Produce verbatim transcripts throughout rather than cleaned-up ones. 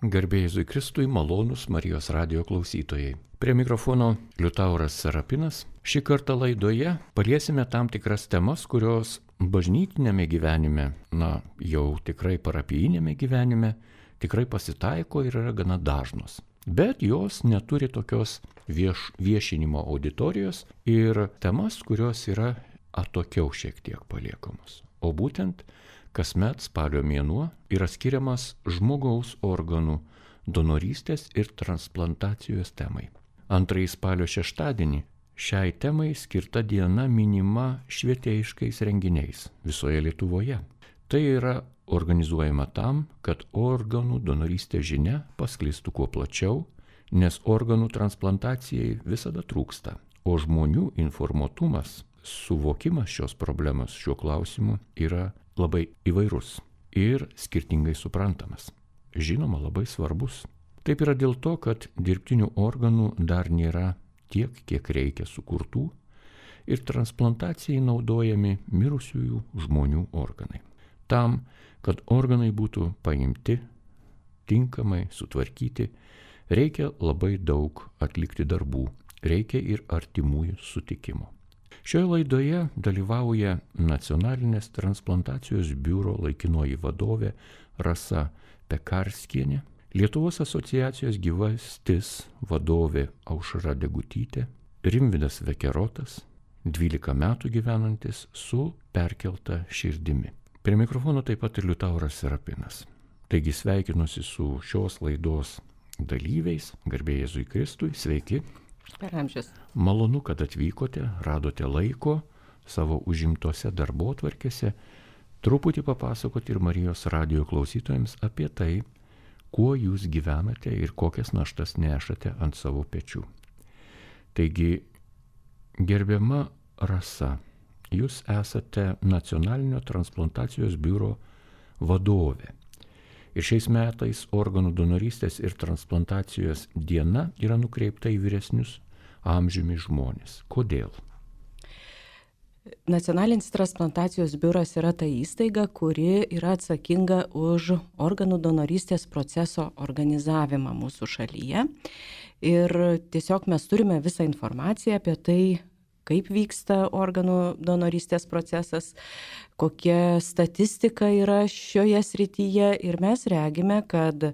Garbė Jėzui Kristui, malonūs Marijos radijo klausytojai. Prie mikrofono Liutauras Serapinas. Šį kartą laidoje paliesime tam tikras temas, kurios bažnytinėme gyvenime, na jau tikrai parapijinėme gyvenime, tikrai pasitaiko ir yra gana dažnos. Bet jos neturi tokios vieš, viešinimo auditorijos ir temas, kurios yra atokiau šiek tiek paliekamos. O būtent kasmet spalio mėnuo yra skiriamas žmogaus organų donorystės ir transplantacijos temai. Antrąjį spalio šeštadienį šiai temai skirta diena minima švietėjiškais renginiais visoje Lietuvoje. Tai yra organizuojama tam, kad organų donorystės žinia pasklistų kuo plačiau, nes organų transplantacijai visada trūksta, o žmonių informuotumas, suvokimas šios problemos šiuo klausimu yra labai įvairus ir skirtingai suprantamas. Žinoma, labai svarbus. Taip yra dėl to, kad dirbtinių organų dar nėra tiek, kiek reikia sukurtų ir transplantacijai naudojami mirusiųjų žmonių organai. Tam, kad organai būtų paimti, tinkamai sutvarkyti, reikia labai daug atlikti darbų, reikia ir artimųjų sutikimo. Šioje laidoje dalyvauja Nacionalinės transplantacijos biuro laikinoji vadovė Rasa Pekarskienė, Lietuvos asociacijos Gyvastis vadovė Aušra Degutytė, Rimvydas Vekerotas, dvylika metų gyvenantis su perkelta širdimi. Prie mikrofono taip pat ir Liutauras Serapinas. Taigi sveikinuosi su šios laidos dalyviais, garbė Jėzui Kristui, sveiki. Per amžius. Malonu, kad atvykote, radote laiko savo užimtose darbotvarkėse truputį papasakoti ir Marijos radijo klausytojams apie tai, kuo jūs gyvenate ir kokias naštas nešate ant savo pečių. Taigi, gerbiama Rasa, jūs esate Nacionalinio transplantacijos biuro vadovė. Ir šiais metais organų donorystės ir transplantacijos diena yra nukreipta į vyresnius amžiumi žmonės. Kodėl? Nacionalinis transplantacijos biuras yra ta įstaiga, kuri yra atsakinga už organų donorystės proceso organizavimą mūsų šalyje. Ir tiesiog mes turime visą informaciją apie tai, kaip vyksta organų donorystės procesas, kokia statistika yra šioje srityje ir mes regime, kad e,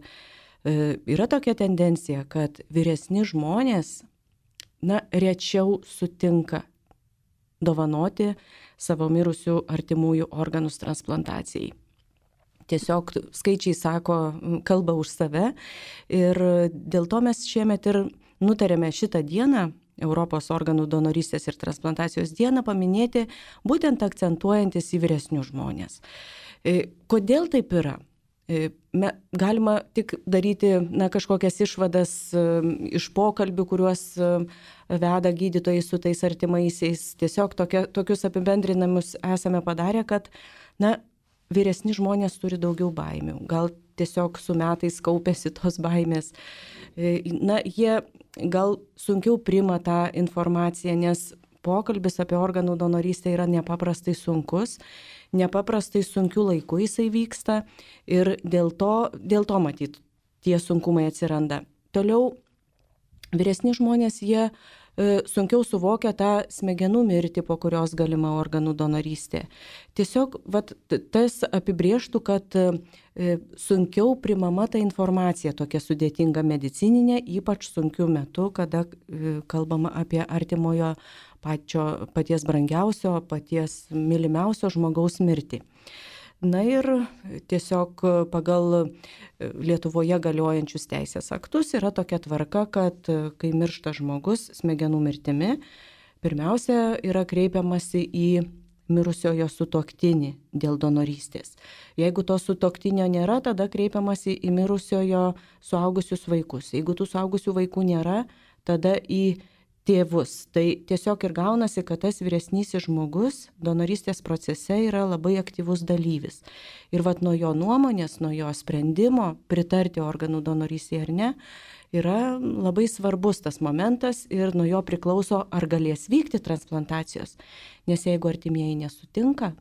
yra tokia tendencija, kad vyresni žmonės, na, rečiau sutinka dovanoti savo mirusių artimųjų organus transplantacijai. Tiesiog skaičiai sako, kalba už save ir dėl to mes šiemet ir nutarėme šitą dieną, Europos organų donorystės ir transplantacijos dieną, paminėti būtent akcentuojantis į vyresnius žmonės. Kodėl taip yra? Galima tik daryti na, kažkokias išvadas iš pokalbių, kuriuos veda gydytojai su tais artimaisiais. Tiesiog tokia, tokius apibendrinamus esame padarę, kad na, vyresni žmonės turi daugiau baimių. Gal tiesiog su metais kaupėsi tos baimės. Na, jie gal sunkiau priima tą informaciją, nes pokalbis apie organų donorystę yra nepaprastai sunkus, nepaprastai sunkiu laiku jisai vyksta ir dėl to, dėl to matyt, tie sunkumai atsiranda. Toliau, vyresni žmonės, jie e, sunkiau suvokia tą smegenų mirtį, po kurios galima organų donorystė. Tiesiog vat, tas apibrėžtų, kad e, sunkiau primama ta informacija, tokia sudėtinga medicininė, ypač sunkiu metu, kada e, kalbama apie artimojo pačio, paties brangiausio, paties mylimiausio žmogaus mirtį. Na ir tiesiog pagal Lietuvoje galiojančius teisės aktus yra tokia tvarka, kad kai miršta žmogus smegenų mirtimi, pirmiausia yra kreipiamasi į mirusiojo sutuoktinį dėl donorystės. Jeigu to sutuoktinio nėra, tada kreipiamasi į mirusiojo suaugusius vaikus. Jeigu tų suaugusių vaikų nėra, tada į tėvus. Tai tiesiog ir gaunasi, kad tas vyresnysis žmogus donorystės procese yra labai aktyvus dalyvis. Ir vat nuo jo nuomonės, nuo jo sprendimo pritarti organų donorystėje ar ne, yra labai svarbus tas momentas ir nuo jo priklauso, ar galės vykti transplantacijos. Nes jeigu artimieji nesutinka,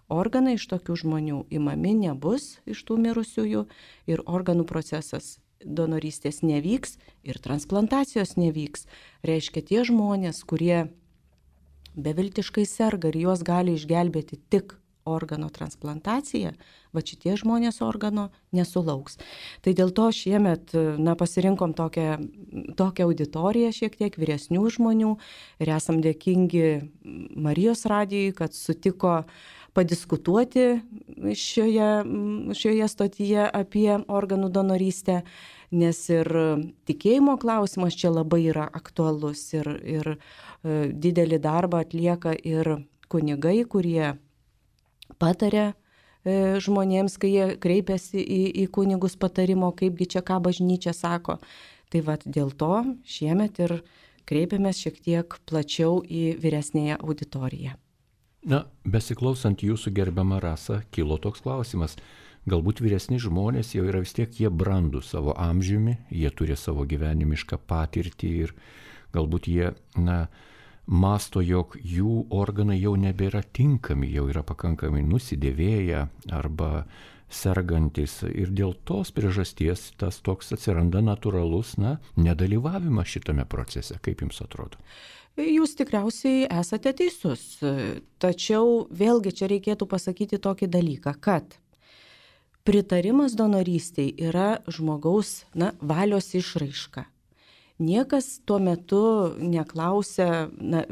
organai iš tokių žmonių imami nebus iš tų mirusiųjų ir organų procesas donorystės nevyks ir transplantacijos nevyks. Reiškia, tie žmonės, kurie beviltiškai serga ir juos gali išgelbėti tik organo transplantacija, va šitie žmonės organo nesulauks. Tai dėl to šiemet na, pasirinkom tokią, tokią auditoriją šiek tiek vyresnių žmonių ir esam dėkingi Marijos radijui, kad sutiko padiskutuoti šioje, šioje stotyje apie organų donorystę, nes ir tikėjimo klausimas čia labai yra aktualus ir, ir didelį darbą atlieka ir kunigai, kurie pataria žmonėms, kai jie kreipiasi į, į kunigus patarimo, kaipgi čia ką bažnyčia sako. Tai vat dėl to šiemet ir kreipiamės šiek tiek plačiau į vyresnėją auditoriją. Na, besiklausant jūsų gerbiamą Rasą, kilo toks klausimas. Galbūt vyresni žmonės jau yra vis tiek jie brandų savo amžiumi, jie turi savo gyvenimišką patirtį ir galbūt jie, na, masto, jog jų organai jau nebėra tinkami, jau yra pakankamai nusidėvėję arba sergantis ir dėl tos priežasties tas toks atsiranda natūralus, na, nedalyvavimas šitame procese. Kaip jums atrodo? Jūs tikriausiai esate teisus, tačiau vėlgi čia reikėtų pasakyti tokį dalyką, kad pritarimas donorystei yra žmogaus na, valios išraiška. Niekas tuo metu neklausia, na,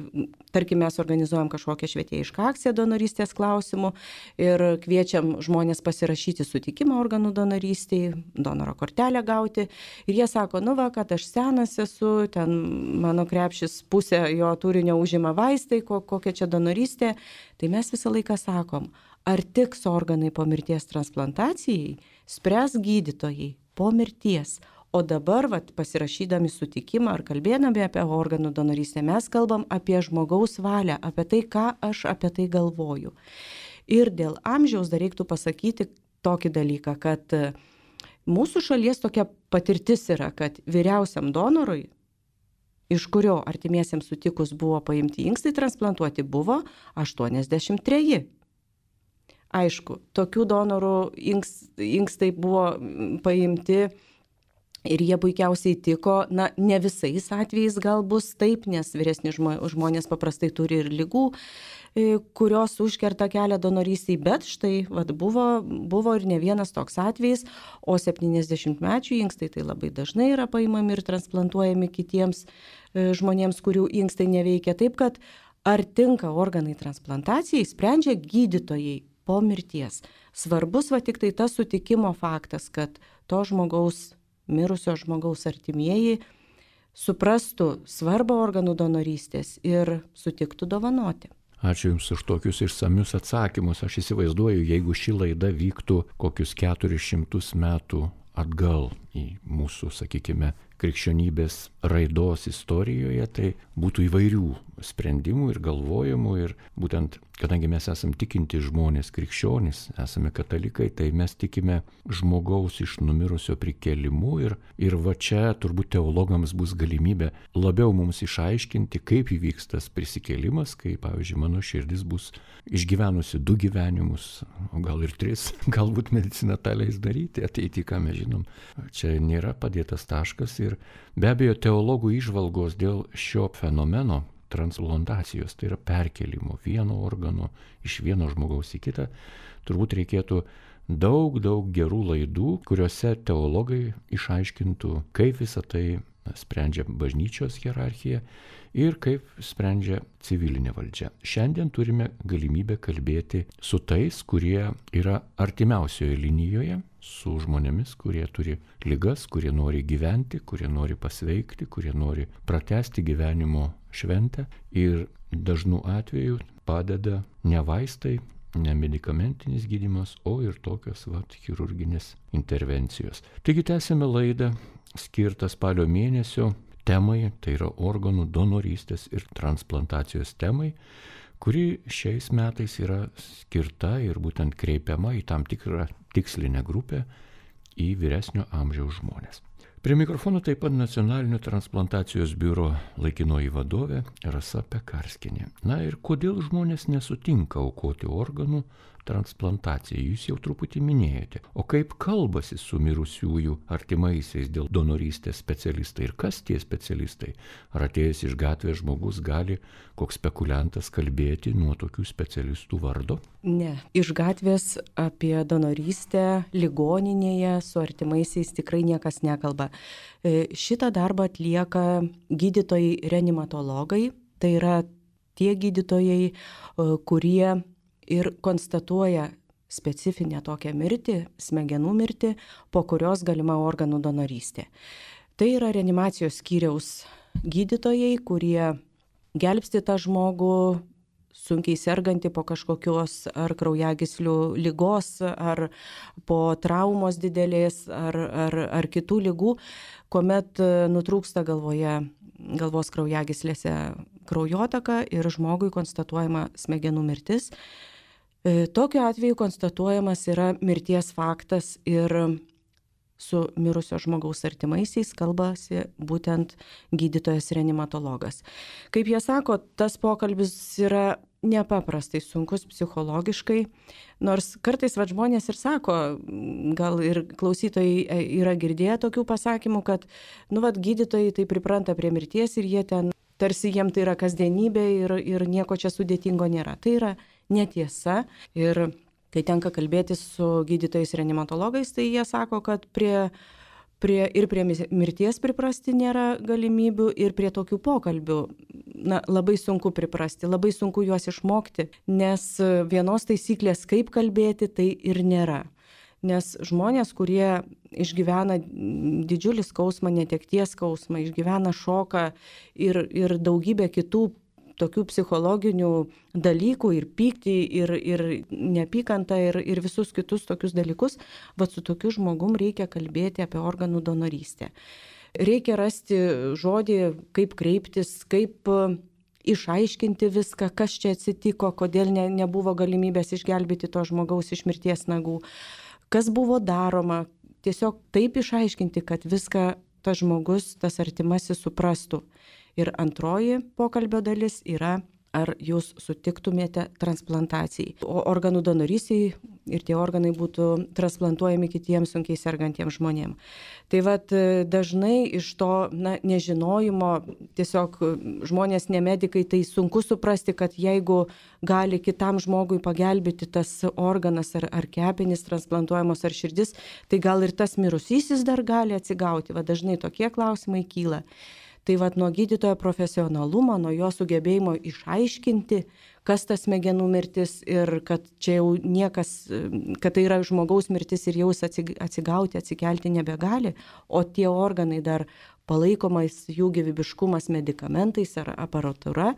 tarkim, mes organizuojam kažkokią švietėjišką akciją donorystės klausimų ir kviečiam žmonės pasirašyti sutikimą organų donorystei, donoro kortelę gauti. Ir jie sako, nu va, kad aš senas esu, ten mano krepšis pusė jo turinio užima vaistai, kokia čia donorystė. Tai mes visą laiką sakom, ar tiks organai po mirties transplantacijai, spręs gydytojai po mirties. O dabar, vat, pasirašydami sutikimą ar kalbėdami apie organų donorystę, mes kalbam apie žmogaus valią, apie tai, ką aš apie tai galvoju. Ir dėl amžiaus dar reiktų pasakyti tokį dalyką, kad mūsų šalies tokia patirtis yra, kad vyriausiam donorui, iš kurio artimiesiems sutikus buvo paimti inkstai transplantuoti, buvo aštuoniasdešimt treji. Aišku, tokių donorų inks, inkstai buvo paimti ir jie puikiausiai tiko, na, ne visais atvejais gal bus taip, nes vyresni žmonės paprastai turi ir ligų, kurios užkerta kelią donorystei, bet štai vat, buvo, buvo ir ne vienas toks atvejis, o septyniasdešimtmečių inkstai tai labai dažnai yra paimami ir transplantuojami kitiems žmonėms, kurių inkstai neveikia. Taip, kad ar tinka organai transplantacijai, sprendžia gydytojai po mirties. Svarbus va tik tai tas sutikimo faktas, kad to žmogaus mirusio žmogaus artimieji suprastų svarbą organų donorystės ir sutiktų dovanoti. Ačiū Jums už tokius išsamius atsakymus. Aš įsivaizduoju, jeigu ši laida vyktų kokius keturis šimtus metų atgal į mūsų, sakykime, krikščionybės raidos istorijoje, tai būtų įvairių sprendimų ir galvojimų ir būtent, kadangi mes esame tikinti žmonės, krikščionys, esame katalikai, tai mes tikime žmogaus iš numirusio prikėlimu ir, ir va čia turbūt teologams bus galimybė labiau mums išaiškinti, kaip įvyks tas prisikėlimas, kai, pavyzdžiui, mano širdis bus išgyvenusi du gyvenimus, o gal ir tris, galbūt medicina tą leis daryti, ateity, ką mes žinom. Čia nėra padėtas taškas ir be abejo teologų įžvalgos dėl šio fenomeno transplantacijos, tai yra perkelimo vieno organo iš vieno žmogaus į kitą, turbūt reikėtų daug, daug gerų laidų, kuriuose teologai išaiškintų, kaip visą tai sprendžia bažnyčios hierarchija ir kaip sprendžia civilinė valdžia. Šiandien turime galimybę kalbėti su tais, kurie yra artimiausioje linijoje, su žmonėmis, kurie turi ligas, kurie nori gyventi, kurie nori pasveikti, kurie nori pratęsti gyvenimo šventę ir dažnu atveju padeda ne vaistai, ne medikamentinis gydymas, o ir tokios vat, chirurginės intervencijos. Taigi tęsime laidą skirtą spalio mėnesio temai, tai yra organų donorystės ir transplantacijos temai, kuri šiais metais yra skirta ir būtent kreipiama į tam tikrą tikslinę grupę, į vyresnio amžiaus žmonės. Prie mikrofono taip pat Nacionalinio transplantacijos biuro laikinoji vadovė Rasa Pekarskienė. Na ir kodėl žmonės nesutinka aukoti organų transplantacijai, jūs jau truputį minėjote. O kaip kalbasi su mirusiųjų artimaisiais dėl donorystės specialistai ir kas tie specialistai? Ar atėjęs iš gatvės žmogus gali koks spekuliantas kalbėti nuo tokių specialistų vardo? Ne, iš gatvės apie donorystę ligoninėje su artimaisiais tikrai niekas nekalba. Šitą darbą atlieka gydytojai reanimatologai, tai yra tie gydytojai, kurie ir konstatuoja specifinę tokią mirtį, smegenų mirtį, po kurios galima organų donorystė. Tai yra reanimacijos skyriaus gydytojai, kurie gelbsti tą žmogų, sunkiai sergantį po kažkokios ar kraujagyslių ligos, ar po traumos didelės, ar, ar, ar kitų ligų, kuomet nutrūksta galvoje, galvos kraujagyslėse kraujotaka ir žmogui konstatuojama smegenų mirtis. Tokiu atveju konstatuojamas yra mirties faktas ir su mirusio žmogaus artimaisiais kalbasi būtent gydytojas reanimatologas. Kaip jie sako, tas pokalbis yra nepaprastai sunkus psichologiškai, nors kartais va, žmonės ir sako, gal ir klausytojai yra girdėję tokių pasakymų, kad nu, va, gydytojai tai pripranta prie mirties ir jie ten tarsi jiem tai yra kasdienybė ir, ir nieko čia sudėtingo nėra. Tai yra netiesa ir kai tenka kalbėti su gydytojais reanimatologais, tai jie sako, kad prie, prie, ir prie mirties priprasti nėra galimybių ir prie tokių pokalbių na, labai sunku priprasti, labai sunku juos išmokti, nes vienos taisyklės, kaip kalbėti, tai ir nėra. Nes žmonės, kurie išgyvena didžiulį skausmą, netekties skausmą, išgyvena šoką ir, ir daugybę kitų tokių psichologinių dalykų ir pyktį, ir, ir neapykantą, ir, ir visus kitus tokius dalykus, bet su tokiu žmogum reikia kalbėti apie organų donorystę. Reikia rasti žodį, kaip kreiptis, kaip išaiškinti viską, kas čia atsitiko, kodėl ne, nebuvo galimybės išgelbėti to žmogaus iš mirties nagų. Kas buvo daroma, tiesiog taip išaiškinti, kad viską tas žmogus, tas artimasis suprastų. Ir antroji pokalbio dalis yra, ar jūs sutiktumėte transplantacijai. O organų donorystiai ir tie organai būtų transplantuojami kitiems sunkiai sergantiems žmonėms. Tai vat dažnai iš to na, nežinojimo, tiesiog žmonės nemedikai, tai sunku suprasti, kad jeigu gali kitam žmogui pagelbėti tas organas ar, ar kepenys transplantuojamos ar širdis, tai gal ir tas mirusysis dar gali atsigauti. Va dažnai tokie klausimai kyla. Tai vat nuo gydytojo profesionalumo, nuo jo sugebėjimo išaiškinti, kas tas smegenų mirtis ir kad čia jau niekas, kad tai yra žmogaus mirtis ir jau atsigauti, atsikelti nebegali, o tie organai dar palaikomas jų gyvybiškumas medikamentais ar aparatūra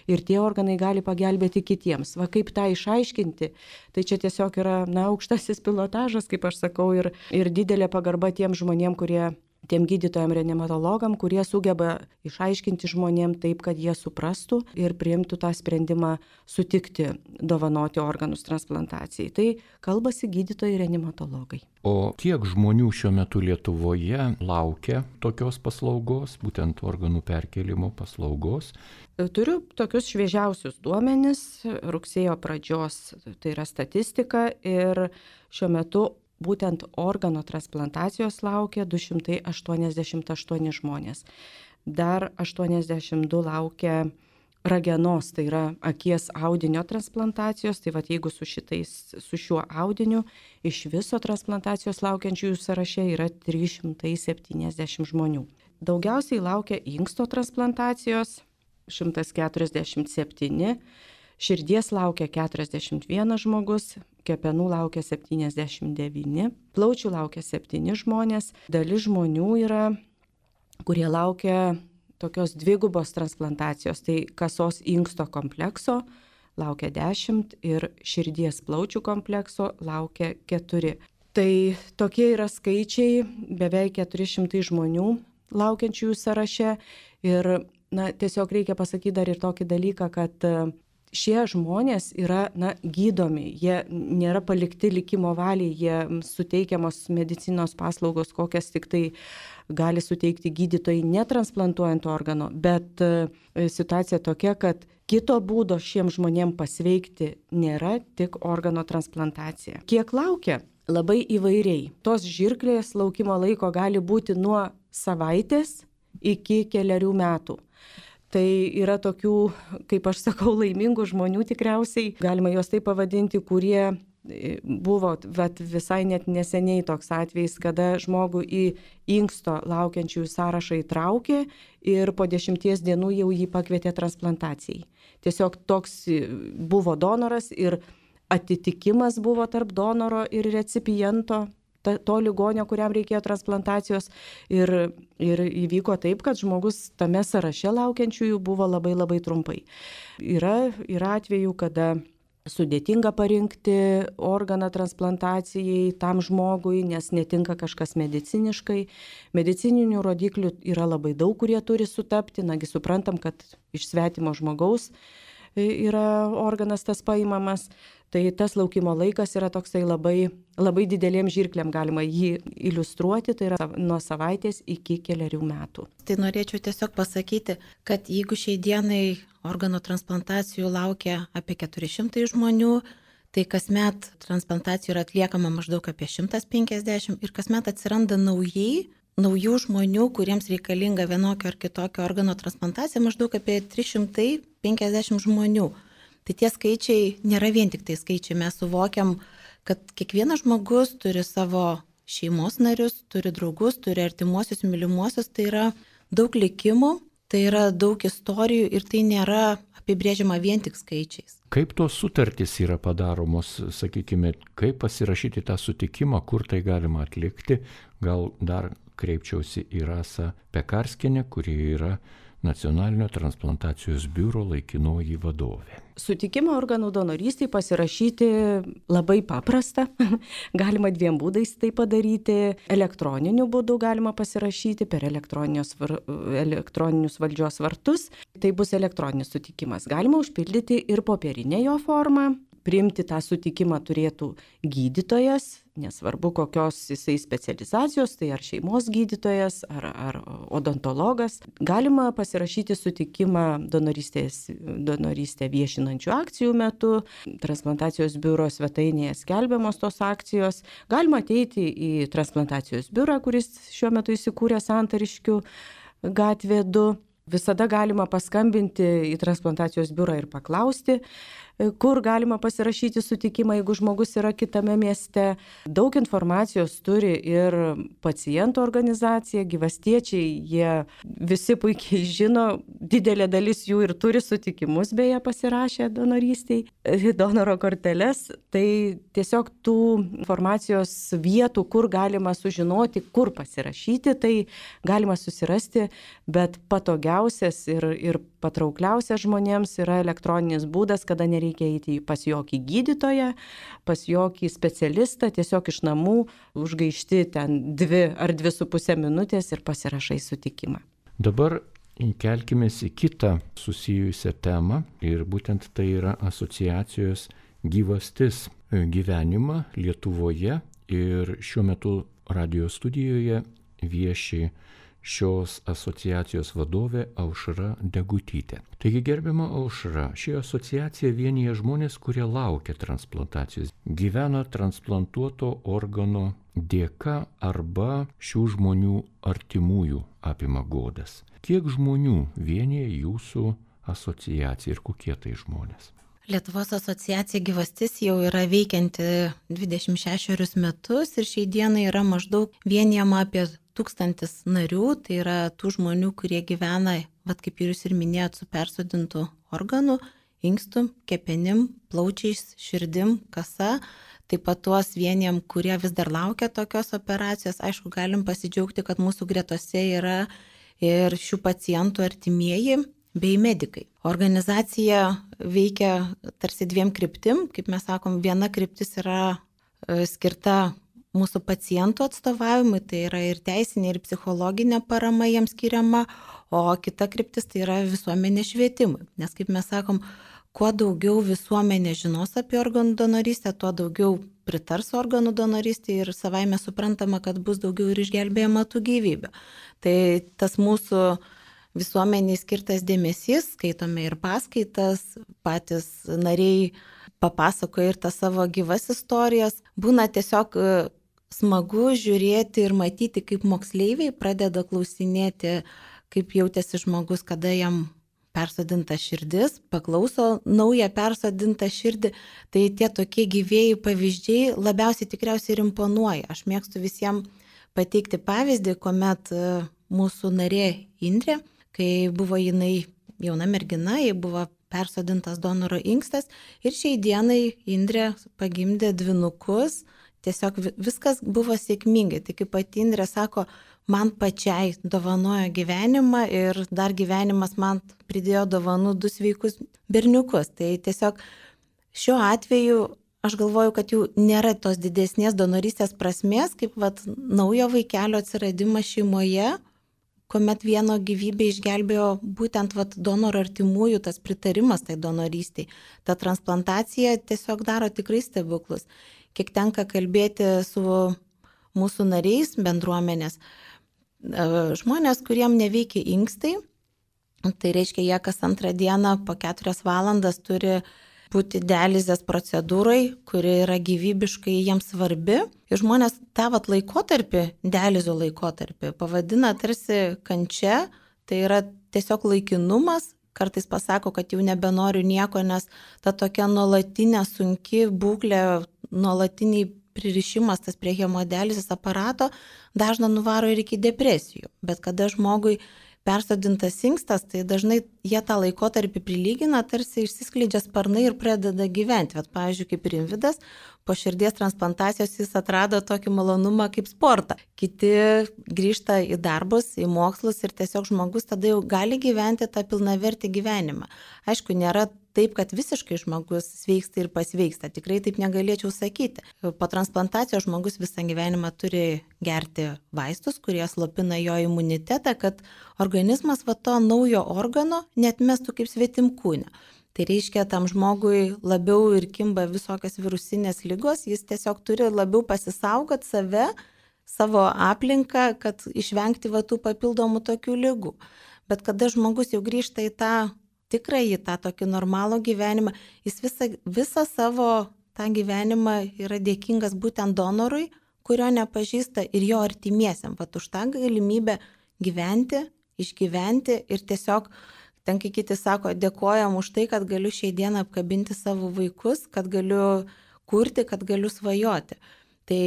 ir tie organai gali pagelbėti kitiems. Va kaip tą išaiškinti, tai čia tiesiog yra na, aukštasis pilotažas, kaip aš sakau, ir, ir didelė pagarba tiem žmonėm, kurie tiem gydytojam reanimatologam, kurie sugeba išaiškinti žmonėm taip, kad jie suprastų ir priimtų tą sprendimą sutikti dovanoti organus transplantacijai. Tai kalbasi gydytojai reanimatologai. O kiek žmonių šiuo metu Lietuvoje laukia tokios paslaugos, būtent organų perkelimo paslaugos? Turiu tokius šviežiausius duomenis, rugsėjo pradžios, tai yra statistika ir šiuo metu būtent organo transplantacijos laukia du šimtai aštuoniasdešimt aštuoni žmonės. Dar aštuoniasdešimt du laukia ragenos, tai yra akies audinio transplantacijos. Tai va jeigu su, šitais, su šiuo audiniu iš viso transplantacijos laukiančiųjų sąraše yra trys šimtai septyniasdešimt žmonių. Daugiausiai laukia inksto transplantacijos šimtas keturiasdešimt septyni, širdies laukia keturiasdešimt vienas žmogus, kepenų laukia septyniasdešimt devyni, plaučių laukia septyni žmonės, dalis žmonių yra, kurie laukia tokios dvigubos transplantacijos, tai kasos inksto komplekso laukia dešimt ir širdies plaučių komplekso laukia keturi. Tai tokie yra skaičiai, beveik keturi šimtai žmonių laukiančiųjų sąraše ir na, tiesiog reikia pasakyti dar ir tokį dalyką, kad šie žmonės yra na, gydomi, jie nėra palikti likimo valiai, jie suteikiamos medicinos paslaugos, kokias tik tai gali suteikti gydytojai netransplantuojant organo, bet situacija tokia, kad kito būdo šiems žmonėms pasveikti nėra, tik organo transplantacija. Kiek laukia? Labai įvairiai. Tos žirklės laukimo laiko gali būti nuo savaitės iki keliarių metų. Tai yra tokių, kaip aš sakau, laimingų žmonių tikriausiai, galima juos taip pavadinti, kurie buvo vat, visai net neseniai toks atvejis, kada žmogų į inksto laukiančiųjų sąrašą įtraukė ir po dešimties dienų jau jį pakvietė transplantacijai. Tiesiog toks buvo donoras ir atitikimas buvo tarp donoro ir recipiento, to ligonio, kuriam reikėjo transplantacijos ir, ir įvyko taip, kad žmogus tame sąraše laukiančiųjų buvo labai labai trumpai. Yra, yra atvejų, kada sudėtinga parinkti organą transplantacijai tam žmogui, nes netinka kažkas mediciniškai. Medicininių rodiklių yra labai daug, kurie turi sutapti, nagi suprantam, kad iš svetimo žmogaus yra organas tas paimamas. Tai tas laukimo laikas yra toksai labai, labai didelėm žirklėm galima jį iliustruoti, tai yra nuo savaitės iki keliarių metų. Tai norėčiau tiesiog pasakyti, kad jeigu šiai dienai organo transplantacijų laukia apie keturi šimtai žmonių, tai kasmet transplantacijų yra atliekama maždaug apie šimtas penkiasdešimt ir kasmet atsiranda naujai, naujų žmonių, kuriems reikalinga vienokio ar kitokio organo transplantacija, maždaug apie trys šimtai penkiasdešimt žmonių. Tai tie skaičiai nėra vien tik tai skaičiai, mes suvokiam, kad kiekvienas žmogus turi savo šeimos narius, turi draugus, turi artimuosius, mylimuosius, tai yra daug likimų, tai yra daug istorijų ir tai nėra apibrėžiama vien tik skaičiais. Kaip tos sutartys yra padaromos, sakykime, kaip pasirašyti tą sutikimą, kur tai galima atlikti, gal dar kreipčiausi į Rasą Pekarskienę, kuri yra Nacionalinio transplantacijos biuro laikinoji vadovė. Sutikimą organų donorystėje pasirašyti labai paprasta. Galima dviem būdais tai padaryti. Elektroniniu būdu galima pasirašyti per var... elektroninius valdžios vartus. Tai bus elektroninis sutikimas. Galima užpildyti ir popierinę jo formą. Priimti tą sutikimą turėtų gydytojas, nesvarbu kokios jisai specializacijos, tai ar šeimos gydytojas, ar, ar odontologas. Galima pasirašyti sutikimą donorystės, donorystę viešinančių akcijų metu. Transplantacijos biuro svetainėje skelbiamos tos akcijos. Galima ateiti į transplantacijos biurą, kuris šiuo metu įsikūrė Santariškių gatvė du. Visada galima paskambinti į transplantacijos biurą ir paklausti, kur galima pasirašyti sutikimą, jeigu žmogus yra kitame mieste. Daug informacijos turi ir pacientų organizacija, gyvastiečiai, jie visi puikiai žino, didelė dalis jų ir turi sutikimus, beje, pasirašę donorystiai, donoro korteles. Tai tiesiog tų informacijos vietų, kur galima sužinoti, kur pasirašyti, tai galima susirasti, bet patogiausias ir, ir patraukliausias žmonėms yra elektroninis būdas, kada nereikia eiti pas jokį gydytoją, pas jokį specialistą, tiesiog iš namų užgaišti ten dvi ar dvi su pusė minutės ir pasirašai sutikimą. Dabar kelkimės į kitą susijusią temą ir būtent tai yra asociacijos gyvastis gyvenimą Lietuvoje ir šiuo metu radijo studijoje vieši šios asociacijos vadovė Aušra Degutytė. Taigi, gerbiama Aušra, ši asociacija vienyje žmonės, kurie laukia transplantacijos, gyvena transplantuoto organo dėka arba šių žmonių artimųjų apima godas. Kiek žmonių vienyje jūsų asociacija ir kokie tai žmonės? Lietuvos asociacija Gyvastis jau yra veikianti dvidešimt šešerius metus ir šiai dienai yra maždaug vienijama apie tūkstantis narių, tai yra tų žmonių, kurie gyvena, vat kaip ir jūs ir minėjot, su persodintų organų, inkstų, kepenim, plaučiais, širdim, kasa. Taip pat tuos vieniem, kurie vis dar laukia tokios operacijos, aišku, galim pasidžiaugti, kad mūsų gretose yra ir šių pacientų artimieji bei medikai. Organizacija veikia tarsi dviem kryptim, kaip mes sakom, viena kryptis yra skirta mūsų pacientų atstovavimui, tai yra ir teisinė, ir psichologinė parama jiems skiriama, o kita kryptis tai yra visuomenės švietimui. Nes kaip mes sakom, kuo daugiau visuomenė žinos apie organų donorystę, tuo daugiau pritars organų donorystė ir savaime suprantama, kad bus daugiau ir išgelbėjama tų gyvybių. Tai tas mūsų visuomeniai skirtas dėmesys, skaitome ir paskaitas, patys nariai papasakoja ir tas savo gyvas istorijas. Būna tiesiog smagu žiūrėti ir matyti, kaip moksleiviai pradeda klausinėti, kaip jautėsi žmogus, kada jam persodinta širdis, paklauso naują persodintą širdį. Tai tie tokie gyvėjai pavyzdžiai labiausiai tikriausiai ir imponuoja. Aš mėgstu visiems pateikti pavyzdį, kuomet mūsų narė Indrė, kai buvo jinai jauna mergina, jai buvo persodintas donoro inkstas ir šiai dienai Indrė pagimdė dvynukus. Tiesiog viskas buvo sėkmingai. Tai kaip pati Indrė sako, man pačiai dovanojo gyvenimą ir dar gyvenimas man pridėjo dovanų du sveikus berniukus. Tai tiesiog šiuo atveju aš galvoju, kad jau nėra tos didesnės donorystės prasmės, kaip vat, naujo vaikelio atsiradimas šeimoje, kuomet vieno gyvybę išgelbėjo būtent vat, donoro artimųjų, tas pritarimas tai donorystiai. Ta transplantacija tiesiog daro tikrai stebuklus. Kiek tenka kalbėti su mūsų nariais bendruomenės, žmonės, kuriem neveikia inkstai, tai reiškia, jie kas antrą dieną po keturias valandas turi būti dializės procedūrai, kuri yra gyvybiškai jiems svarbi. Ir žmonės tą vat laikotarpį, dializio laikotarpį, pavadina tarsi kančia, tai yra tiesiog laikinumas. Kartais pasako, kad jau nebenoriu nieko, nes ta tokia nuolatinė sunki būklė, nuolatiniai pririšimas tas prie hemodializės aparato dažnai nuvaro ir iki depresijų. Bet kada žmogui persodintas inkstas, tai dažnai jie tą laikotarpį prilygina, tarsi išsiskleidžia sparnai ir pradeda gyventi. Bet, pavyzdžiui, kaip Rimvydas, po širdies transplantacijos jis atrado tokį malonumą kaip sportą. Kiti grįžta į darbus, į mokslus ir tiesiog žmogus tada jau gali gyventi tą pilnavertį gyvenimą. Aišku, nėra taip, kad visiškai žmogus sveiksta ir pasveiksta. Tikrai taip negalėčiau sakyti. Po transplantacijos žmogus visą gyvenimą turi gerti vaistus, kurie slopina jo imunitetą, kad organizmas va to naujo organo neatmestų kaip svetimkūnę. Tai reiškia, tam žmogui labiau ir kimba visokios virusinės ligos, jis tiesiog turi labiau pasisaugoti save, savo aplinką, kad išvengti va tų papildomų tokių ligų. Bet kada žmogus jau grįžta į tą tikrąjį, tą tokį normalų gyvenimą, jis visą, visą savo tą gyvenimą yra dėkingas būtent donorui, kurio nepažįsta ir jo artimiesiam. Vat už tą galimybę gyventi, išgyventi ir tiesiog, ten kai kiti sako, dėkojam už tai, kad galiu šiai dieną apkabinti savo vaikus, kad galiu kurti, kad galiu svajoti. Tai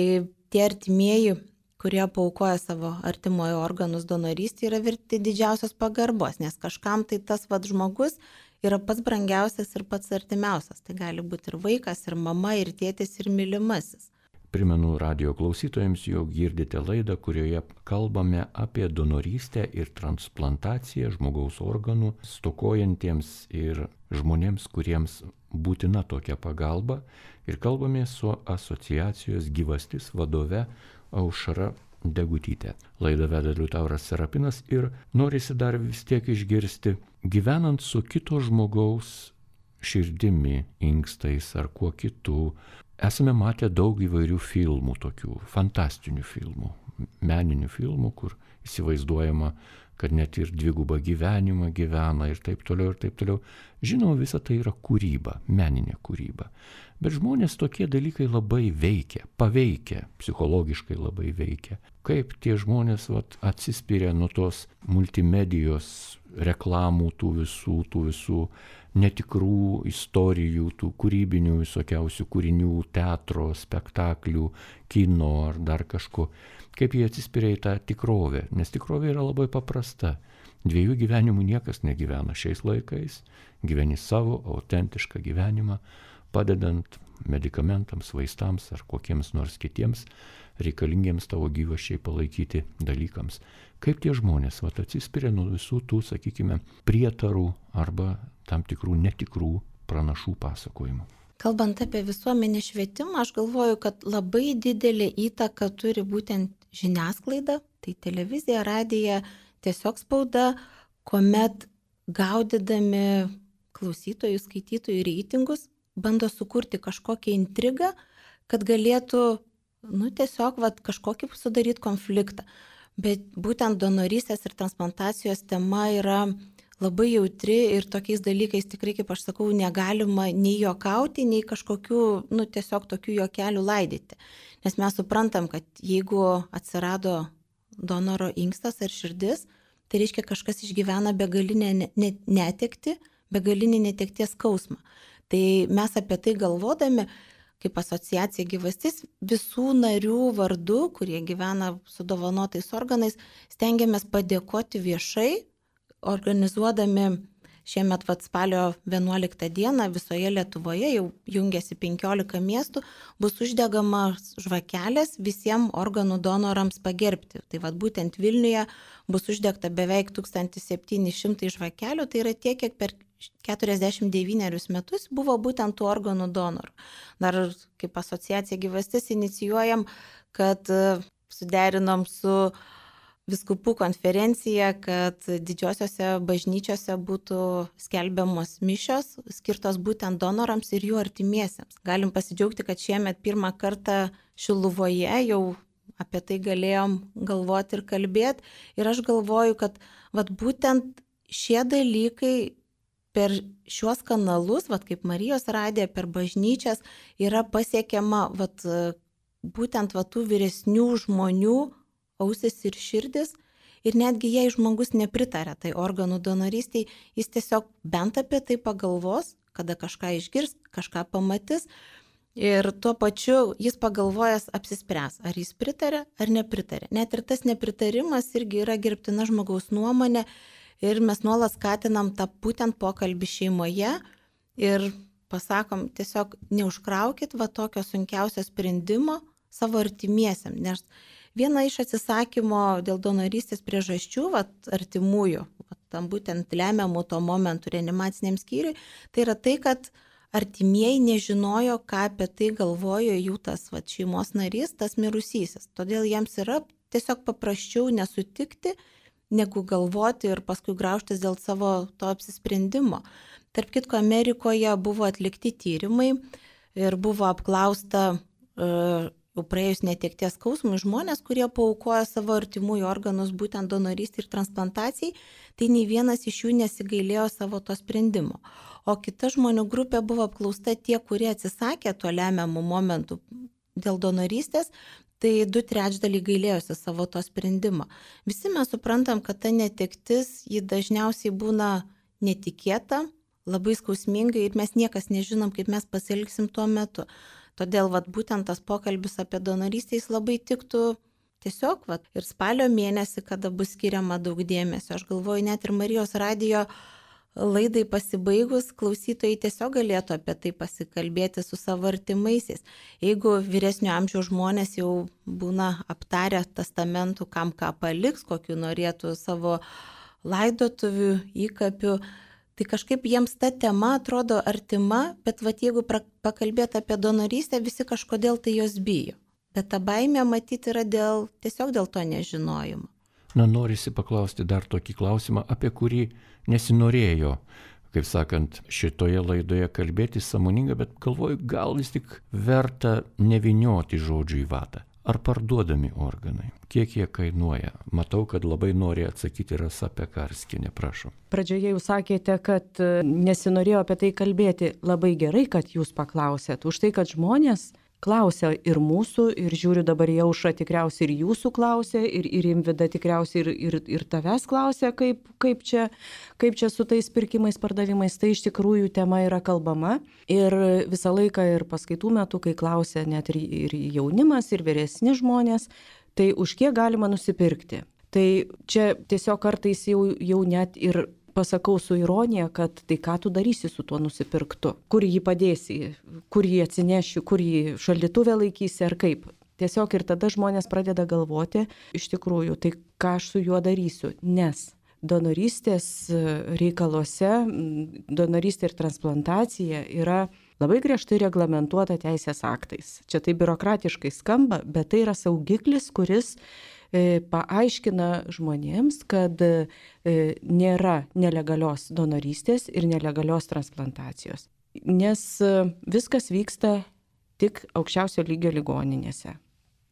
tie artimieji, kurie paaukoja savo artimojo organus donorystį, yra verti didžiausios pagarbos, nes kažkam tai tas vat žmogus yra pats brangiausias ir pats artimiausias. Tai gali būti ir vaikas, ir mama, ir tėtis, ir mylimasis. Primenu radijo klausytojams, jog girdite laidą, kurioje kalbame apie donorystę ir transplantaciją žmogaus organų stokojantiems ir žmonėms, kuriems būtina tokia pagalba. Ir kalbame su asociacijos Gyvastis vadove Aušra Degutytė. Laidą veda Liutauras Serapinas ir norisi dar vis tiek išgirsti, gyvenant su kito žmogaus širdimi, inkstais ar kuo kitu, esame matę daug įvairių filmų, tokių fantastinių filmų, meninių filmų, kur įsivaizduojama, kad net ir dvigubą gyvenimą gyvena ir taip toliau ir taip toliau. Žinoma, visa tai yra kūryba, meninė kūryba. Bet žmonės tokie dalykai labai veikia, paveikia, psichologiškai labai veikia. Kaip tie žmonės vat, atsispiria nuo tos multimedijos reklamų, tų visų, tų visų netikrų istorijų, tų kūrybinių visokiausių kūrinių, teatro, spektaklių, kino ar dar kažko. Kaip jie atsispiria į tą tikrovę, nes tikrovė yra labai paprasta. Dviejų gyvenimų niekas negyvena šiais laikais, gyveni savo autentišką gyvenimą, padedant medikamentams, vaistams ar kokiems nors kitiems reikalingiems tavo gyvasčiai palaikyti dalykams. Kaip tie žmonės vat, atsispiria nuo visų tų, sakykime, prietarų arba tam tikrų netikrų pranašų pasakojimų. Kalbant apie visuomenės švietimą, aš galvoju, kad labai didelė įtaka turi būtent žiniasklaida, tai televizija, radija, tiesiog spauda, kuomet gaudydami klausytojų, skaitytojų reitingus, bando sukurti kažkokią intrigą, kad galėtų, nu, tiesiog vat, kažkokį sudaryti konfliktą. Bet būtent donorystės ir transplantacijos tema yra labai jautri ir tokiais dalykais tikrai, kaip aš sakau, negalima nei juokauti, nei kažkokių, nu, tiesiog tokių juokelių laidyti. Nes mes suprantam, kad jeigu atsirado donoro inkstas ar širdis, tai reiškia kažkas išgyvena begalinę netekti, begalinį netekties skausmą. Tai mes apie tai galvodami, kaip asociacija Gyvastis, visų narių vardu, kurie gyvena su dovanotais organais, stengiamės padėkoti viešai, organizuodami šiemet vat, spalio vienuoliktą dieną visoje Lietuvoje, jau jungiasi penkiolika miestų, bus uždegamas žvakelės visiems organų donorams pagerbti. Tai vat, būtent Vilniuje bus uždegta beveik tūkstantis septyni šimtai žvakelių, tai yra tiek, kiek per keturiasdešimt devynerius metus buvo būtent tų organų donorų. Dar kaip asociacija Gyvastis inicijuojam, kad suderinom su Vyskupų konferencija, kad didžiosiose bažnyčiose būtų skelbiamos mišios, skirtos būtent donorams ir jų artimiesiems. Galim pasidžiaugti, kad šiemet pirmą kartą Šiluvoje jau apie tai galėjom galvoti ir kalbėti. Ir aš galvoju, kad vat, būtent šie dalykai per šiuos kanalus, vat, kaip Marijos radija, per bažnyčias, yra pasiekiama vat, būtent vat, tų vyresnių žmonių ausis ir širdis. Ir netgi jei žmogus nepritarė tai organų donorystiai, jis tiesiog bent apie tai pagalvos, kada kažką išgirs, kažką pamatys. Ir tuo pačiu jis pagalvojęs apsispręs, ar jis pritarė ar nepritarė. Net ir tas nepritarimas irgi yra gerbtina žmogaus nuomonė. Ir mes nuolat skatinam tą būtent pokalbį šeimoje ir pasakom, tiesiog neužkraukit va tokio sunkiausio sprendimo savo artimiesiam. Nes viena iš atsisakymo dėl donorystės priežasčių, va, artimųjų, va, tam būtent lemiamų to momentų reanimaciniam skyriui, tai yra tai, kad artimieji nežinojo, ką apie tai galvojo jų tas va, šeimos narys, tas mirusysis. Todėl jiems yra tiesiog paprasčiau nesutikti, negu galvoti ir paskui graužtis dėl savo to apsisprendimo. Tarp kitko, Amerikoje buvo atlikti tyrimai ir buvo apklausta uh, jau praėjus netekties skausmui žmonės, kurie paaukojo savo artimųjų organus būtent donorystei ir transplantacijai, tai nei vienas iš jų nesigailėjo savo to sprendimo. O kita žmonių grupė buvo apklausta tie, kurie atsisakė tuo lemiamų momentų dėl donorystės, tai du trečdaliai gailėjosi savo to sprendimo. Visi mes suprantam, kad ta netektis, ji dažniausiai būna netikėta, labai skausminga ir mes niekas nežinom, kaip mes pasielgsim tuo metu. Todėl vat, būtent tas pokalbis apie donorystę jis labai tiktų tiesiog vat, ir spalio mėnesį, kada bus skiriama daug dėmesio. Aš galvoju, net ir Marijos radijo laidai pasibaigus, klausytojai tiesiog galėtų apie tai pasikalbėti su savo artimaisiais. Jeigu vyresnio amžiaus žmonės jau būna aptarę testamentų, kam ką paliks, kokiu norėtų savo laidotuvių, įkapių, tai kažkaip jiems ta tema atrodo artima, bet vat, jeigu pakalbėti apie donorystę, visi kažkodėl tai jos bijo. Bet ta baimė matyti yra dėl, tiesiog dėl to nežinojimo. Na, norisi paklausti dar tokį klausimą, apie kurį nesinorėjo, kaip sakant, šitoje laidoje kalbėti sąmoningai, bet galvoju, gal vis tik verta nevinioti žodžių į vatą. Ar parduodami organai? Kiek jie kainuoja? Matau, kad labai nori atsakyti Rasa Pekarskienė, prašom. Pradžioje jūs sakėte, kad nesinorėjo apie tai kalbėti. Labai gerai, kad jūs paklausėt. Už tai, kad žmonės klausia ir mūsų, ir žiūriu dabar į Aušrą tikriausiai ir jūsų klausia, ir, ir Imvida tikriausiai ir, ir, ir tavęs klausia, kaip, kaip, čia, kaip čia su tais pirkimais, pardavimais. Tai iš tikrųjų tema yra kalbama. Ir visą laiką ir paskaitų metu, kai klausia net ir, ir jaunimas, ir vyresni žmonės, tai už kiek galima nusipirkti. Tai čia tiesiog kartais jau, jau net ir pasakau su ironija, kad tai ką tu darysi su tuo nusipirktu, kur jį padėsi, kur jį atsineši, kur jį šaldytuve laikysi ar kaip. Tiesiog ir tada žmonės pradeda galvoti, iš tikrųjų, tai ką aš su juo darysiu, nes donorystės reikaluose, donorystė ir transplantacija yra labai griežtai reglamentuota teisės aktais. Čia tai biurokratiškai skamba, bet tai yra saugiklis, kuris paaiškina žmonėms, kad nėra nelegalios donorystės ir nelegalios transplantacijos, nes viskas vyksta tik aukščiausio lygio ligoninėse.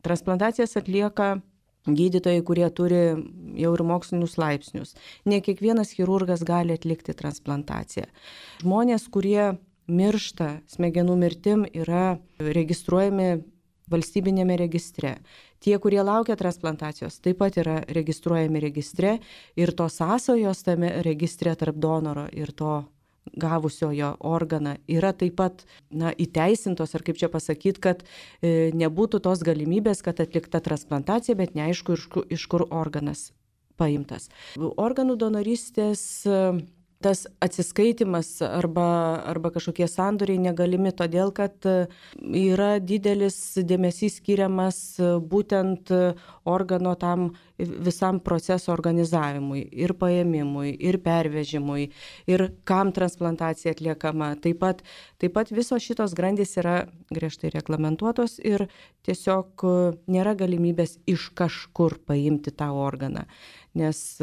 Transplantacijas atlieka gydytojai, kurie turi jau ir mokslinius laipsnius. Ne kiekvienas chirurgas gali atlikti transplantaciją. Žmonės, kurie miršta smegenų mirtim, yra registruojami valstybinėme registre. Tie, kurie laukia transplantacijos, taip pat yra registruojami registre ir tos sąsajos tame registre tarp donoro ir to gavusiojo organą yra taip pat na, įteisintos, ar kaip čia pasakyti, kad e, nebūtų tos galimybės, kad atlikta transplantacija, bet neaišku, iš kur, iš kur organas paimtas. Organų donorystės e, tas atsiskaitimas arba, arba kažkokie sandoriai negalimi todėl, kad yra didelis dėmesys skiriamas būtent organo tam visam proceso organizavimui ir paėmimui, ir pervežimui, ir kam transplantacija atliekama. Taip pat, taip pat visos šitos grandys yra griežtai reglamentuotos ir tiesiog nėra galimybės iš kažkur paimti tą organą, nes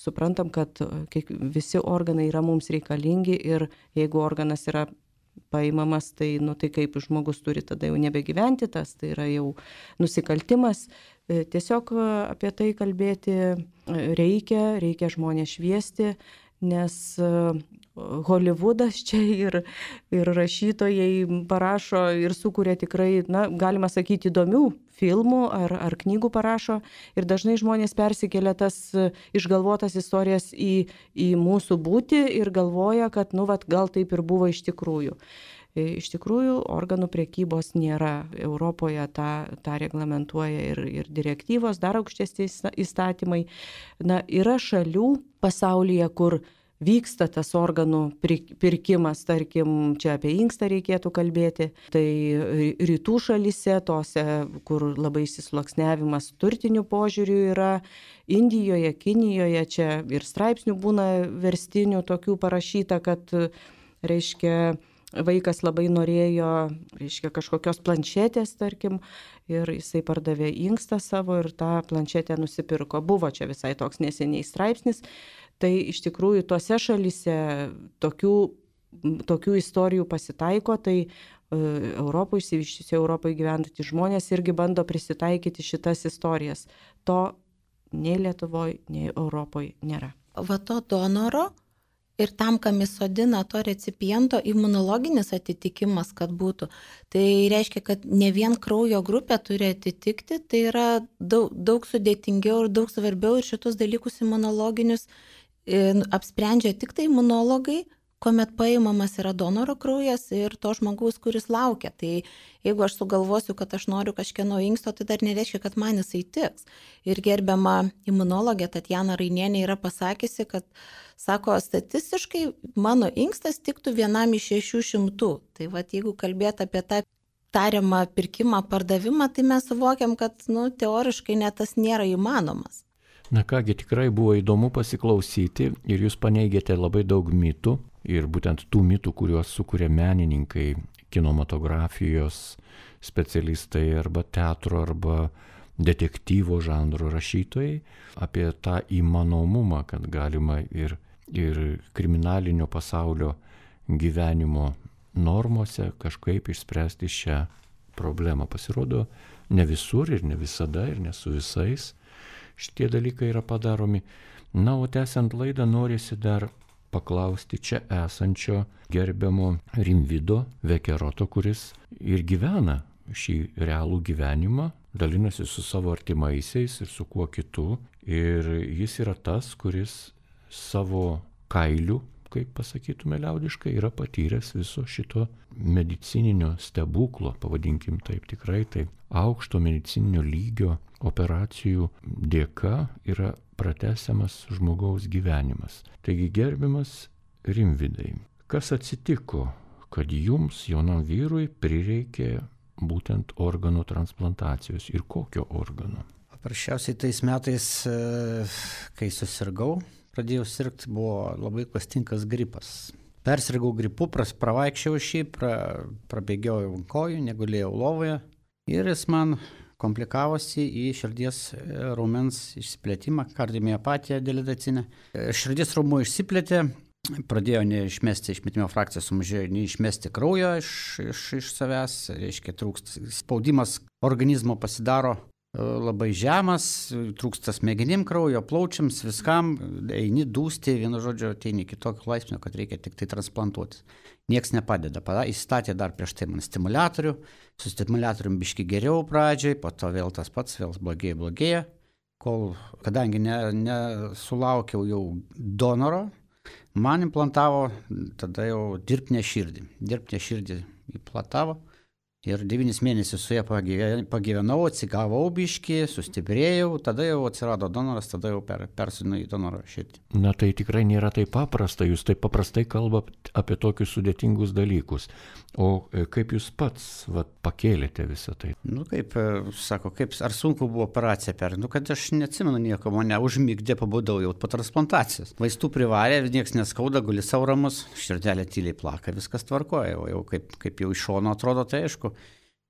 suprantam, kad visi organai yra mums reikalingi ir jeigu organas yra paimamas, tai, nu, tai kaip žmogus turi tada jau nebegyventi, tas tai yra jau nusikaltimas. Tiesiog apie tai kalbėti reikia, reikia žmonės šviesti, nes Hollywoodas čia ir, ir rašytojai parašo ir sukuria tikrai, na, galima sakyti, įdomių filmų ar, ar knygų parašo ir dažnai žmonės persikelia tas išgalvotas istorijas į, į mūsų būtį ir galvoja, kad, nu, vat, gal taip ir buvo iš tikrųjų. Iš tikrųjų, organų prekybos nėra. Europoje tą, tą reglamentuoja ir, ir direktyvos, dar aukštesni įstatymai. Na, yra šalių pasaulyje, kur vyksta tas organų pirkimas, tarkim, čia apie inkstą reikėtų kalbėti, tai rytų šalyse, tose, kur labai įsisluoksniavimas turtinių požiūrių yra, Indijoje, Kinijoje, čia ir straipsnių būna verstinių tokių parašyta, kad, reiškia, vaikas labai norėjo, reiškia, kažkokios planšetės, tarkim, ir jisai pardavė inkstą savo ir tą planšetę nusipirko. Buvo čia visai toks neseniai straipsnis. Tai iš tikrųjų tose šalyse tokių, tokių istorijų pasitaiko, tai e, Europoje, išsivyščiusioje Europoje gyventantys žmonės irgi bando prisitaikyti šitas istorijas. To nei Lietuvoje, nei Europoje nėra. Va to donoro ir tam, kam įsodina to recipiento imunologinis atitikimas, kad būtų. Tai reiškia, kad ne vien kraujo grupė turi atitikti, tai yra daug, daug sudėtingiau ir daug svarbiau ir šitus dalykus imunologinius apsprendžia tik tai imunologai, kuomet paimamas yra donoro kraujas ir to žmogaus, kuris laukia. Tai jeigu aš sugalvosiu, kad aš noriu kažkieno inksto, tai dar nereiškia, kad man jisai tiks. Ir gerbiama imunologė Tatjana Rainienė yra pasakysi, kad, sako, statistiškai mano inkstas tiktų vienam iš šešių šimtų. Tai vat, jeigu kalbėt apie tą tariamą pirkimą, pardavimą, tai mes suvokiam, kad, nu, teoriškai net tas nėra įmanomas. Na kągi, tikrai buvo įdomu pasiklausyti ir jūs paneigėte labai daug mitų ir būtent tų mitų, kuriuos sukuria menininkai, kinematografijos specialistai arba teatro arba detektyvo žanro rašytojai, apie tą įmanomumą, kad galima ir, ir kriminalinio pasaulio gyvenimo normose kažkaip išspręsti šią problemą. Pasirodo, ne visur ir ne visada ir ne su visais šitie dalykai yra padaromi. Na, o tęsiant laidą norisi dar paklausti čia esančio gerbiamo Rimvydo Vekeroto, kuris ir gyvena šį realų gyvenimą, dalinasi su savo artimaisiais ir su kuo kitu. Ir jis yra tas, kuris savo kailiu, kaip pasakytume liaudiškai, yra patyręs viso šito medicininio stebuklo, pavadinkim taip tikrai, tai aukšto medicininio lygio operacijų dėka yra pratęsiamas žmogaus gyvenimas. Taigi, gerbiamas Rimvydai, kas atsitiko, kad jums, jaunam vyrui, prireikė būtent organų transplantacijos ir kokio organo? Paprasčiausiai tais metais, kai susirgau, pradėjau sirgti, buvo labai klastingas gripas. Persirgau gripu, pravaikščiau šį, pra, prabėgiojau ant kojų, negulėjau lovoje ir jis man komplikavosi į širdies raumens išsiplėtimą, kardiomiopatiją dilatacinę. Širdies raumuo išsiplėtė, pradėjo neišmesti išmetimo frakciją, sumažėjo neišmesti kraujo iš, iš, iš savęs, reiškia trūksta, spaudimas organizmo pasidaro labai žemas, trūksta smegenim kraujo, plaučiams, viskam, eini dūsti, vienu žodžiu, ateini iki tokio laipsnio, kad reikia tik tai transplantuotis. Niekas nepadeda, įstatė dar prieš tai man stimuliatorių, su stimuliatorium biški geriau pradžiai, po to vėl tas pats, vėl blogėja, blogėja, kol, kadangi nesulaukiau ne jau donoro, man implantavo tada jau dirbtinę širdį. Dirbtinę širdį implantavo ir devynis mėnesius su ja pagyvenau, atsigavau biškį, sustiprėjau, tada jau atsirado donoras, tada jau per, persinu į donoro širdį. Na tai tikrai nėra taip paprasta, jūs taip paprastai kalbate apie tokius sudėtingus dalykus. O kaip jūs pats vat, pakėlėte visą tai? Nu kaip, sako, kaip, ar sunku buvo operacija per, nu kad aš neatsimenu nieko, mane užmigdė, pabudau jau po transplantacijos. Vaistų privarė, niekas neskauda, guli sau ramus, širdelė tyliai plaka, viskas tvarkoja, o jau kaip, kaip jau iš šono atrodo, tai aišku,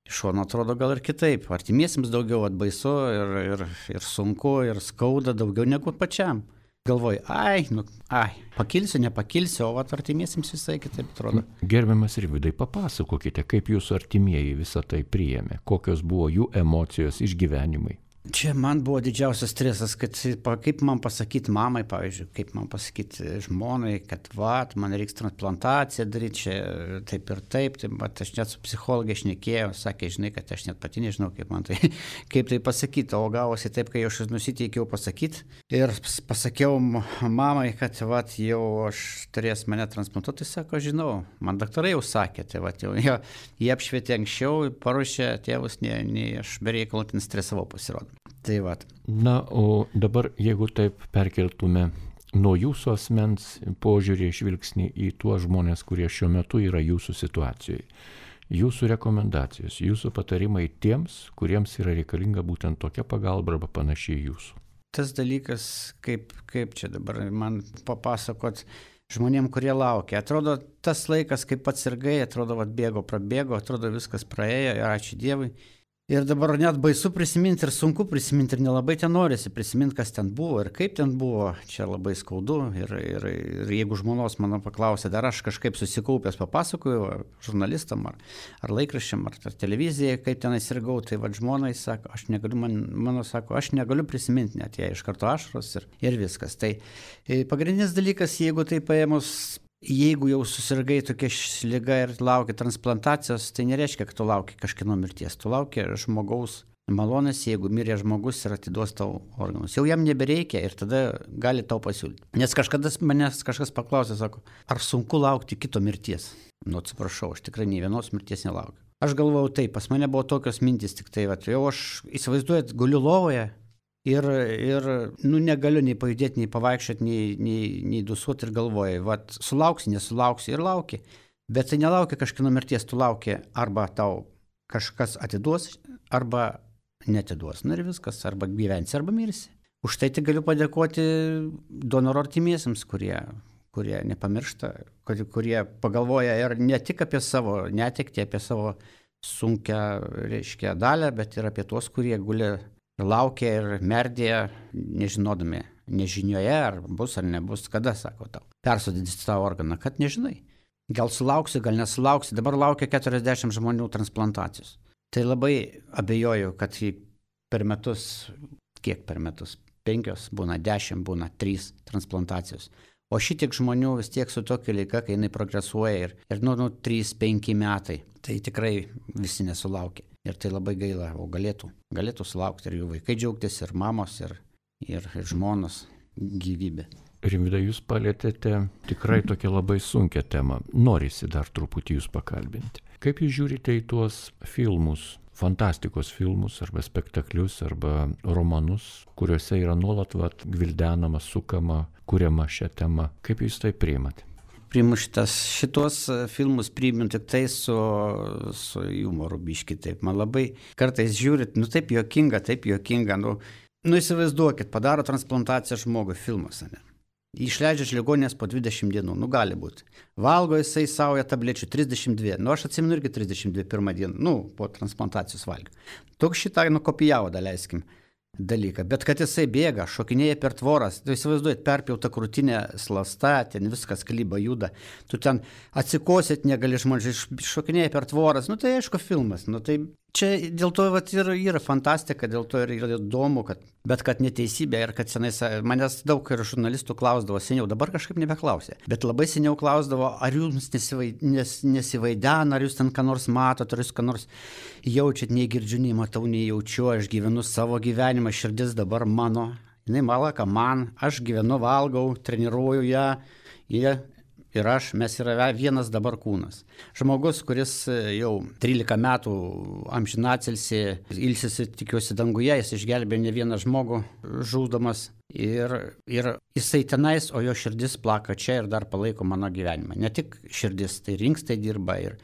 iš šono atrodo gal ir kitaip, artimiesiems daugiau atbaisu ir, ir, ir sunku, ir skauda daugiau negu pačiam. Galvoju, ai, nu, ai, pakilsiu, nepakilsiu, o vat artimiesiems visai kitaip atrodo. Gerbiamas Rimvydai, papasakokite, kaip jūsų artimieji visą tai priėmė, kokios buvo jų emocijos, išgyvenimai. Čia man buvo didžiausias stresas, kad kaip man pasakyti mamai, pavyzdžiui, kaip man pasakyti žmonai, kad va, man reiks transplantaciją daryti, čia taip ir taip, tai, bet aš net su psichologė šnekėjau, sakė, žinai, kad aš net pati nežinau, kaip man tai, kaip tai pasakyti, o gavosi taip, kai aš nusiteikiau pasakyti ir pasakiau mamai, kad va, jau aš turės mane transplantuoti, tai sako, žinau, man daktarai jau sakė, tai va, jau jie, jie apšvietė anksčiau, paruošė tėvus, nei, nei aš bereikalų ten stresavau pasirodo. Tai va. Na, o dabar, jeigu taip perkeltume nuo jūsų asmens požiūrį žvilgsnį į tuos žmonės, kurie šiuo metu yra jūsų situacijoje, jūsų rekomendacijos, jūsų patarimai tiems, kuriems yra reikalinga būtent tokia pagalba arba panašiai jūsų. Tas dalykas, kaip, kaip čia dabar man papasakot žmonėm, kurie laukia. Atrodo, tas laikas, kaip pats sirgai, atrodo, vat, bėgo, prabėgo, atrodo, viskas praėjo ir ačiū Dievui. Ir dabar net baisu prisiminti ir sunku prisiminti ir nelabai ten norisi prisiminti, kas ten buvo ir kaip ten buvo. Čia labai skaudu ir, ir, ir jeigu žmonos mano paklausė, dar aš kažkaip susikaupęs papasakoju žurnalistam ar, ar laikraščiam ar, ar televizijai, kaip ten sirgau, tai vad žmonai sako, aš negaliu, man, mano sako, aš negaliu prisiminti, net jie iš karto ašaros ir, ir viskas. Tai pagrindinis dalykas, jeigu tai paėmus, jeigu jau susirgai tokia liga ir laukia transplantacijos, tai nereiškia, kad tu lauki kažkieno mirties. Tu lauki žmogaus malonės, jeigu mirė žmogus ir atiduos tau organus. Jau jam nebereikia ir tada gali tau pasiūlyti. Nes kažkada manęs kažkas paklausė, sako, ar sunku laukti kito mirties? Nu, atsiprašau, aš tikrai nei vienos mirties nelaukiu. Aš galvojau taip, pas mane buvo tokios mintis, tik tai, vat, jau aš įsivaizduojat, guliu lovoje. Ir, ir nu, negaliu nei pajudėti, nei pavaikščioti, nei, nei, nei dusuoti ir galvoju, vat, sulauksi, nesulauksi ir lauki. Bet tai nelaukia kažkieno mirties, tu lauki arba tau kažkas atiduos, arba netiduos. Na ir viskas, arba gyvensi, arba mirsi. Už tai tik galiu padėkoti donoro artimiesiems, kurie, kurie nepamiršta, kurie pagalvoja ir ne tik apie savo netektį, apie savo sunkią, reiškia, dalę, bet ir apie tuos, kurie guli laukia ir merdėja, nežinodami, nežinioje, ar bus ar nebus, kada, sako tau, persodinti tavo organą, kad nežinai. Gal sulauksi, gal nesulauksi, dabar laukia keturiasdešimt žmonių transplantacijos. Tai labai abejoju, kad per metus, kiek per metus, penkios, būna dešimt, būna trys transplantacijos. O šitiek žmonių vis tiek su tokia liga, kai jinai progresuoja ir, ir nu, nu, trys penki metai, tai tikrai visi nesulaukia. Ir tai labai gaila, o galėtų, galėtų sulaukti ir jų vaikai džiaugtis, ir mamos, ir, ir, ir žmonos gyvybė. Rimvydai, jūs palėtėte tikrai tokią labai sunkią temą. Norisi dar truputį jūs pakalbinti. Kaip jūs žiūrite į tuos filmus, fantastikos filmus, arba spektaklius, arba romanus, kuriuose yra nuolat vat, gvildenama, sukama, kuriama šią temą? Kaip jūs tai priimate? Priimu šitas, šitos filmus priimu tik tai su, su jumoru biški, taip. Man labai kartais žiūrit, nu taip juokinga, taip juokinga, nu, nu įsivaizduokit, padaro transplantaciją žmogui filmas, ne? Išleidžia iš ligoninės po dvidešimt dienų, nu gali būti. Valgo jisai sauja tablečių trisdešimt dvi, nu aš atsimenu irgi trisdešimt dvi pirmą dieną, nu po transplantacijos valgiau. Toks šitą nukopijavo, daleiskim, dalyką. Bet kad jisai bėga, šokinėja per tvoras, tu įsivaizduojat, perpjauta krūtinė slasta, ten viskas klyba juda, tu ten atsikosėt negali žmonės, šokinėja per tvoras, nu tai aišku filmas, nu tai čia dėl to vat, ir yra fantastika, dėl to ir yra įdomu, kad, bet kad neteisybė ir kad senais, manęs daug ir žurnalistų klausdavo seniau, dabar kažkaip nebeklausė, bet labai seniau klausdavo, ar jums nesivaid, nes, nesivaidena, ar jūs ten ką nors matot, ar jūs ką nors jaučiat, nei girdžiu, nei matau, nei jaučiu, aš gyvenu savo gyvenimą, širdis dabar mano, jinai malaka man, aš gyvenu, valgau, treniruoju ją, jie ir aš, mes yra vienas dabar kūnas. Žmogus, kuris jau trylika metų amžinatilsį, ilsisi, tikiuosi, danguje, jis išgelbėjo ne vieną žmogų žūdamas ir, ir jisai tenais, o jo širdis plaka čia ir dar palaiko mano gyvenimą. Ne tik širdis, tai rinkstai dirba ir,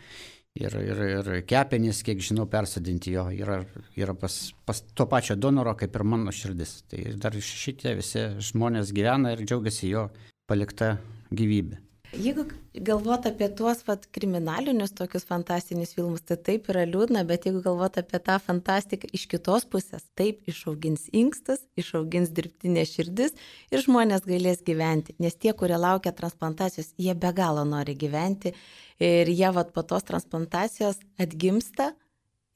ir, ir, ir kepenys, kiek žinau, persodinti jo yra, yra pas, pas to pačio donoro kaip ir mano širdis. Tai dar šitie visi žmonės gyvena ir džiaugiasi jo palikta gyvybė. Jeigu galvot apie tuos vat, kriminalinius tokius fantastinius filmus, tai taip yra liūdna, bet jeigu galvot apie tą fantastiką iš kitos pusės, taip išaugins inkstas, išaugins dirbtinė širdis ir žmonės galės gyventi, nes tie, kurie laukia transplantacijos, jie be galo nori gyventi ir jie vat, po tos transplantacijos atgimsta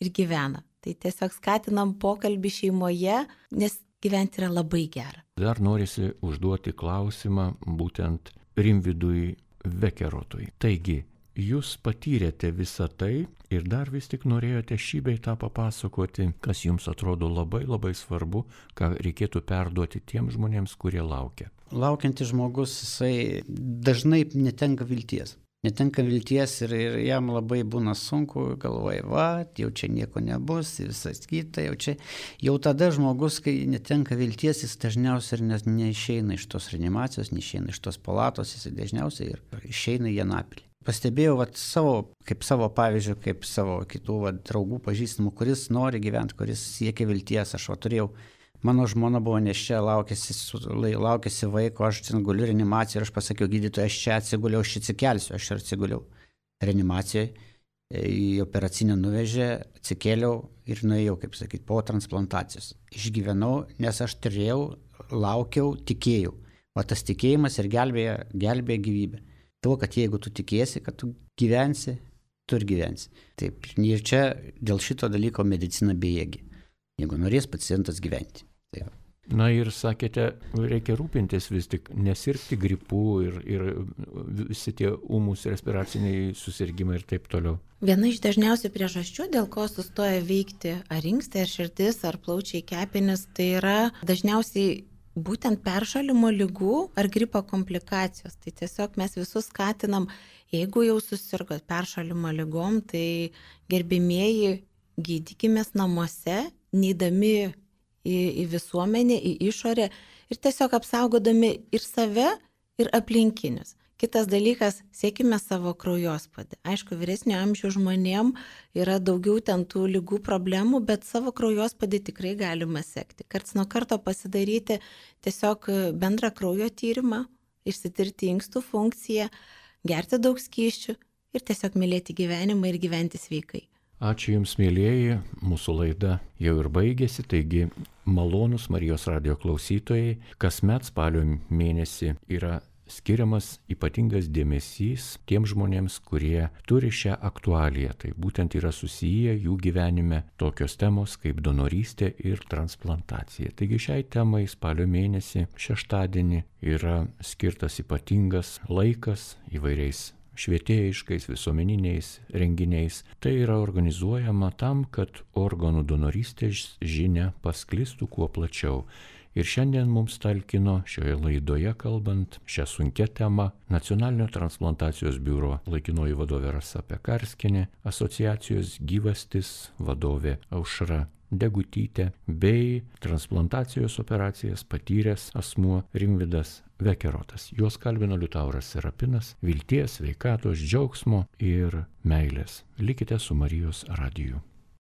ir gyvena. Tai tiesiog skatinam pokalbį šeimoje, nes gyventi yra labai gera. Dar norisi užduoti klausimą būtent Rimvydui Vekerotui. Taigi, jūs patyrėte visą tai ir dar vis tik norėjote šį bei tą papasakoti, kas jums atrodo labai labai svarbu, ką reikėtų perduoti tiems žmonėms, kurie laukia. Laukiantis žmogus, jisai dažnai netenka vilties. Netenka vilties ir, ir jam labai būna sunku, galvoja, va, jau čia nieko nebus, visas kita, jau čia. Jau tada žmogus, kai netenka vilties, jis dažniausiai ir ne, neišeina iš tos reanimacijos, neišeina iš tos palatos, jis dažniausiai ir išeina į Anapilį. Pastebėjau vat, savo, kaip savo pavyzdžių, kaip savo kitų vat, draugų pažįstamų, kuris nori gyventi, kuris siekia vilties. Aš va, turėjau, mano žmona buvo neščia, laukėsi, laukėsi vaiko, aš ten guliu reanimacijoje ir aš pasakiau, gydytoja, aš čia atsiguliau, aš atsikelsiu, aš ir atsiguliau reanimacijoje, į operacinę nuvežė, atsikėliau ir nuėjau, kaip sakyti, po transplantacijos. Išgyvenau, nes aš turėjau, laukiau, tikėjau. O tas tikėjimas ir gelbėja, gelbėja gyvybę. Tuo, kad jeigu tu tikėsi, kad tu gyvensi, tu ir gyvensi. Taip, ir čia dėl šito dalyko medicina bejėgi, jeigu norės pacientas gyventi. Taip. Na ir sakėte, reikia rūpintis vis tik, nesirgti gripu ir, ir visi tie ūmus respiraciniai susirgymai ir taip toliau. Viena iš dažniausių priežasčių, dėl ko sustoja veikti ar inkstai, ar širdis, ar plaučiai, kepenys, tai yra dažniausiai būtent peršalimo ligų ar gripo komplikacijos. Tai tiesiog mes visus skatinam, jeigu jau susirgot peršalimo ligom, tai gerbimieji gydykimės namuose, neidami į, į visuomenę, į išorę ir tiesiog apsaugodami ir save, ir aplinkinius. Kitas dalykas, siekime savo kraujospūdį. Aišku, vyresnio amžiaus žmonėm yra daugiau ten tų ligų problemų, bet savo kraujospūdį tikrai galima sekti. Karts nuo karto pasidaryti tiesiog bendrą kraujo tyrimą, išsitirti inkstų funkciją, gerti daug skysčių ir tiesiog mylėti gyvenimą ir gyventi sveikai. Ačiū Jums, mėlyjeji, mūsų laida jau ir baigėsi, taigi malonus Marijos radijo klausytojai, kasmet spalio mėnesį yra skiriamas ypatingas dėmesys tiems žmonėms, kurie turi šią aktualiją. Tai būtent yra susiję jų gyvenime tokios temos kaip donorystė ir transplantacija. Taigi šiai temai spalio mėnesį šeštadienį yra skirtas ypatingas laikas įvairiais švietėjiškais visuomeniniais renginiais. Tai yra organizuojama tam, kad organų donorystės žinia pasklistų kuo plačiau. Ir šiandien mums talkino šioje laidoje kalbant šią sunkią temą Nacionalinio transplantacijos biuro laikinoji vadovė Rasa Pekarskienė, asociacijos Gyvastis vadovė Aušra Degutytė bei transplantacijos operacijas patyręs asmuo Rimvydas Vekerotas. Juos kalbino Liutauras Serapinas. Vilties, sveikatos, džiaugsmo ir meilės. Likite su Marijos radiju.